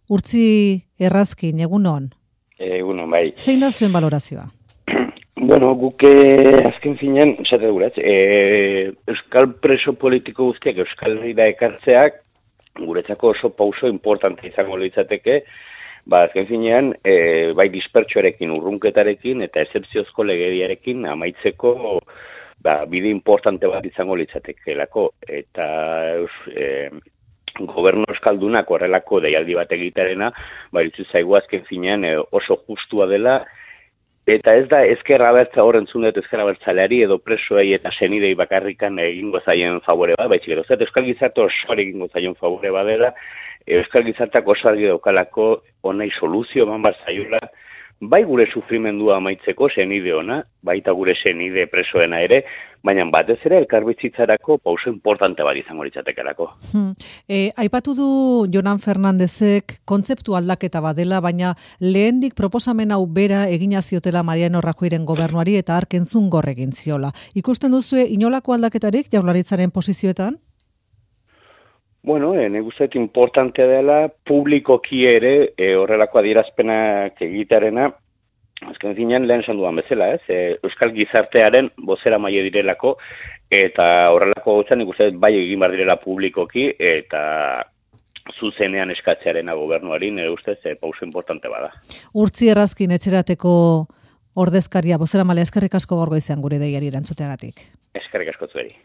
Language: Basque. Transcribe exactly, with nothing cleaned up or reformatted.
Urtzi Errazkin, egunon. Egunon, bai. Zein da zuen balorazioa? Bueno, guk azken finean, esate duguraz, e, euskal preso politiko guztiak Euskal Herrira ekartzeak guretzako oso pauso importante izango litzateke, ba, azken finean, e, bai dispertsioarekin, urrunketarekin eta excepziozko legediarekin amaitzeko ba, bide importante bat izango litzatekelako. Eta e, gobernu euskaldunak horrelako deialdi bat egitarena, ba, iritsi zaigu azken finean e, oso justua dela. Eta ez da ezkerra bertza horren zunet ezkerra bertzaleari edo presoei eta senidei bakarrikan egingo zaien favore bat, baitzik edo zet, euskal gizarte osoari egingo zaien favore badela, euskal gizarteak oso argi daukalako honei soluzio eman bat zaiola, bai gure sufrimendua amaitzeko senide ona, baita gure senide presoena ere, baina batez ere elkarbizitzarako pauso importante bat izango litzatekelako. Hmm. E, aipatu du Jonan Fernandezek kontzeptu aldaketa badela, baina lehendik proposamen hau bera egina ziotela Mariano Rajoyren gobernuari eta hark entzun gor egin ziola. Ikusten duzue inolako aldaketarik Jaurlaritzaren posizioetan? Bueno, e, nik uste importantea dela publikoki ere e, horrelako adierazpenak egitarena, azken finean lehen esan dudan bezala, ez? E, Euskal gizartearen bozera maile direlako, eta horrelako gautzan nik uste bai egin behar direla publikoki, eta zuzenean eskatzearena gobernuari, nire ustez, e, pauso importante bada. Urtzi Errazkin etxerateko ordezkaria, bozera maile, eskerrik asko gaur goizean gure deiari erantzuteagatik. Eskerrik asko zueri.